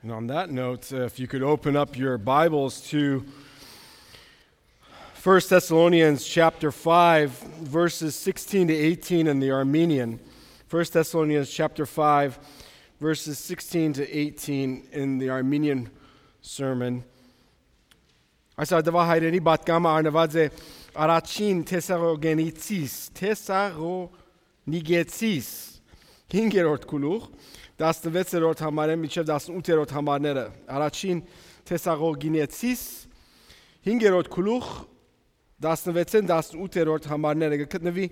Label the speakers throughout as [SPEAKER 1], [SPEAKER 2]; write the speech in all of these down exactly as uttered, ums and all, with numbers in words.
[SPEAKER 1] And on that note, uh, if you could open up your Bibles to First Thessalonians chapter five, verses sixteen to eighteen in the Armenian. First Thessalonians chapter five, verses sixteen to eighteen in the Armenian sermon. Այսօր դվա հայրենի բատկամը արնված է առաջին Թեսաղոնիկեցիս, Թեսաղոնիկեցիս, հինգերորդ գլուխ, տասնվեցերորդ համարը մինչև տասնութերորդ համարները, առաջին Թեսաղոնիկեցիս, հինգերորդ գլուխ, տասնվեցեն տասնութերորդ համարները գտնվի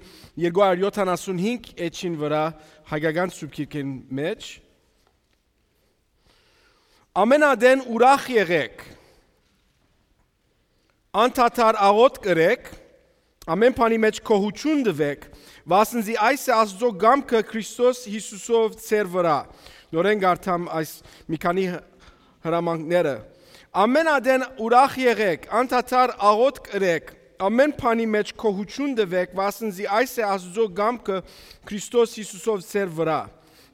[SPEAKER 1] երկու հարյուր յոթանասունհինգ էջին վրա հայկական սուբգիրքին մեջ։ Ամենադեն ուրախ եղեք, անդադար աղոթք կրեք, ամեն բանի մեջ գոհություն տվեք, վասնզի այս է Աստծո գամքը Քրիստոս Հիսուսով ձեր վրա։ Նորեն գարթամ այս մի քանի հրամանքները։ Ամենադեն ուրախ եղեք, անդադար աղոթք կրեք, ամեն բանի մեջ գոհություն տվեք, վասնզի այս է Աստծո գամքը Քրիստոս Հիսուսով ձեր վրա։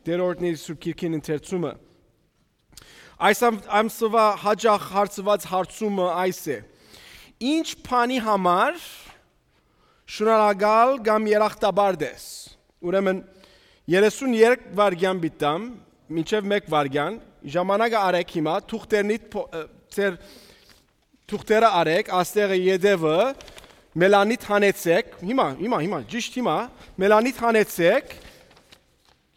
[SPEAKER 1] Դերորդների սուբգիրքին ընթերցումը։ Այս ամսվա հաջող հարցված հարցումը այս է. Ինչ բանի համար շնորհակալ կամ երախտաբար ես։ Ուրեմն երեսունյոթ վայրկյան բիտամ, մինչև մեկ վայրկյան, ժամանակը արեք հիմա, թուղթերնիդ ձեր թուղթերը արեք, աստեղը յետևը, մելանիդ հանեցեք, հիմա, հիմա, հիմա, ճիշտ հիմա, մելանիդ հանեցեք,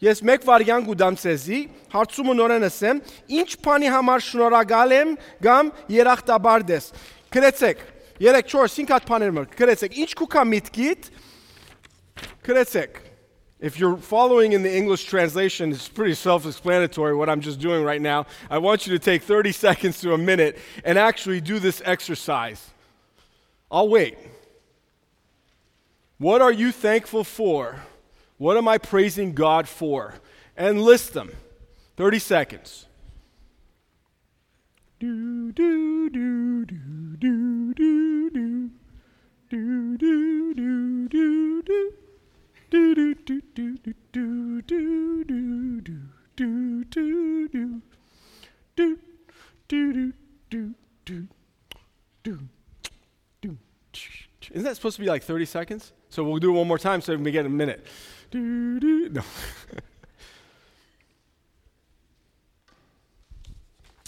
[SPEAKER 1] ես մեկ վայրկյան գուդամ ցեզի, հարցումը նորեն ասեմ, ինչ բանի համար շնորհակալ եմ կամ երախտաբար ես։ Գրեցեք, երեք, չորս, հինգ հատ բաներ մը, գրեցեք, ինչ կուքա միտքիդ, գրեցեք. If you're following in the English translation, it's pretty self-explanatory what I'm just doing right now. I want you to take thirty seconds to a minute and actually do this exercise. I'll wait. What are you thankful for? What am I praising God for? And list them. thirty seconds. Do, do, do, do, do, do, do. Do, do, do, do, do. Do do do do do do do do do do do do do do do do do do. Isn't that supposed to be like thirty seconds? So we'll do it one more time so we get a minute. Do do no.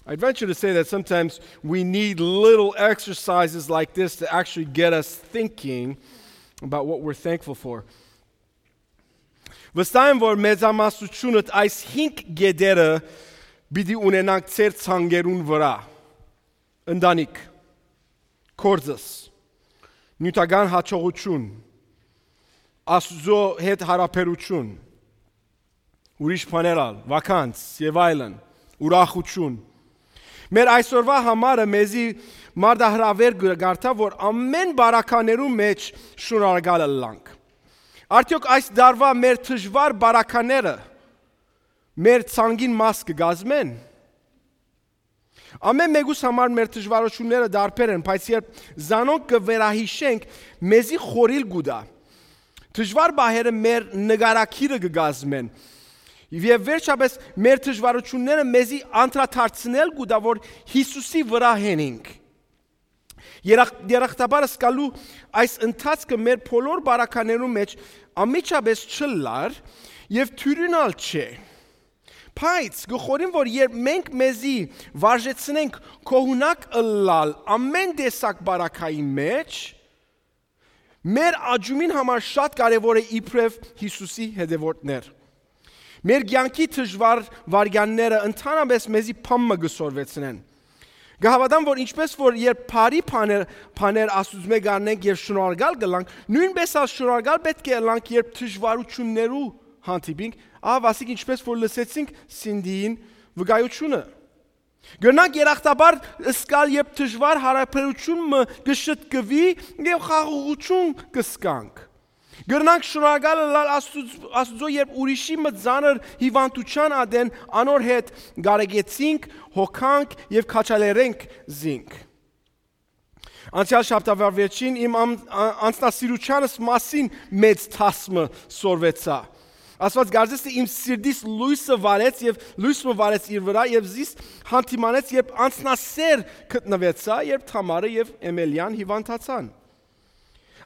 [SPEAKER 1] I'd venture to say that sometimes we need little exercises like this to actually get us thinking about what we're thankful for. Վստահ եմ, որ մեծամասնությունդ այս հինգ գեդերը պիտի ունենանք ձեր ցանկերուն վրա։ Ընտանիք, կորձս, նյութական հաջողություն, Աստծո հետ հարաբերություն, ուրիշ բաներ, վականց եւ այլն, ուրախություն։ Մեր այսօրվա համարը մեզի մարդահրավեր գարտա, որ ամեն բարականերու մեջ շնորհակալ լինենք։ Արդյոք այս դարվա մեր դժվար բարակաները մեր ցանկին մաս կգազմեն։ Ամեն մեկուս համար մեր դժվարությունները դարբեր են, բայց երբ զանոնք կվերահիշենք, մեզի խորիլ գուդա։ Դժվար բաները մեր նկարակիրը կգազմեն։ Եվ վերջապես մեր դժվարությունները մեզի անդրադարձնել գուդա, որ Հիսուսի վրա հենենք։ Երախտաբար սկալու այս ընթացքը մեր բոլոր բարականերու մեջ ամիջապես չլար եւ թյուրինալ չէ։ Բայց գխորին, որ երբ մենք մեզի վարժեցնենք կողունակ ըլլալ ամեն տեսակ բարակայի մեջ, մեր աջումին համար շատ կարևոր է իբրև Հիսուսի հետևորդներ։ Մեր կյանքի դժվար վարյանները ընդհանրապես մեզի փամը գսորվեցնեն։ Գահավատամ, որ ինչպես որ երբ բարի բաներ բաներ Աստծո մեջ առնենք եւ շնորհակալ գլանք, նույնպես ալ շնորհակալ պետք է լինենք, երբ դժվարություններու հանդիպենք, ահավասիկ ինչպես որ լսեցինք Սինդիին վկայությունը։ Գնանք երախտաբար սկալ երբ դժվար հարաբերությունը գշտկվի եւ խաղաղություն կսկանք։ Գնանք շնորհակալ լինել Աստծո, երբ ուրիշի մը ծանր հիվանդության ադեն անոր հետ գարեգեցինք, հոգանք եւ քաչալերենք զինք։ Անցյալ շաբթավար վերջին իմ անձնասիրությանս մասին մեծ թասմը սորվեցա։ Աստված գարձես թե իմ սիրտիս լույսը վարեց եւ լույսը վարեց իր վրա եւ զիս հանդիմանեց, երբ անցնասեր գտնվեցա, երբ Թամարը եւ Էմելյան հիվանդացան։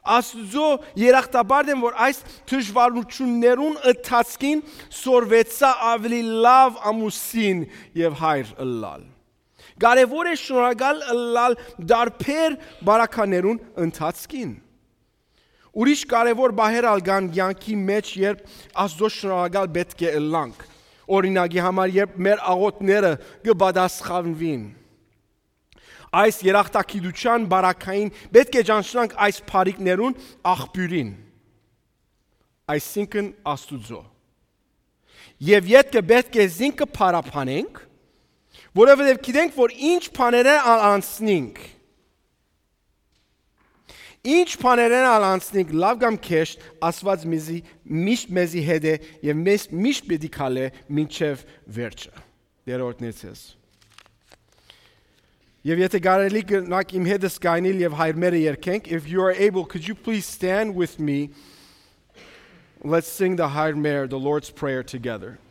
[SPEAKER 1] Աստծո երախտաբար եմ, որ այս դժվարություններուն ընթացքին սորվեցա ավելի լավ ամուսին եւ հայր ըլլալ։ Կարևոր է շնորհակալ ըլլալ դարբեր բարականերուն ընթացքին։ Ուրիշ կարևոր բահեր ալ կան կյանքի մեջ, երբ Աստծո շնորհակալ պետք է ըլլանք։ Օրինակի համար, երբ մեր աղոթները կպատասխանվին։ Այս երախտագիտության բարակային պետք է ճանաչենք այս բարիքներուն աղբյուրին, այսինքն Աստուծո։ Եվ յետքը պետք է զինքը փարապանենք, որովհետև գիտենք, որ ինչ բաներ անցնենք, ինչ բաներ անցնենք, լավ կամ քեշ, Աստված մեզի միշտ մեզի հետ է եւ մեզ միշտ պետք է քալե մինչեւ վերջը։ Դերորդներս։ Եվ եթե կարելի կնակ իմ հետս կայնել եւ հայրմերը երգենք, if you are able, could you please stand with me? Let's sing the Hayr Mer, the Lord's Prayer together.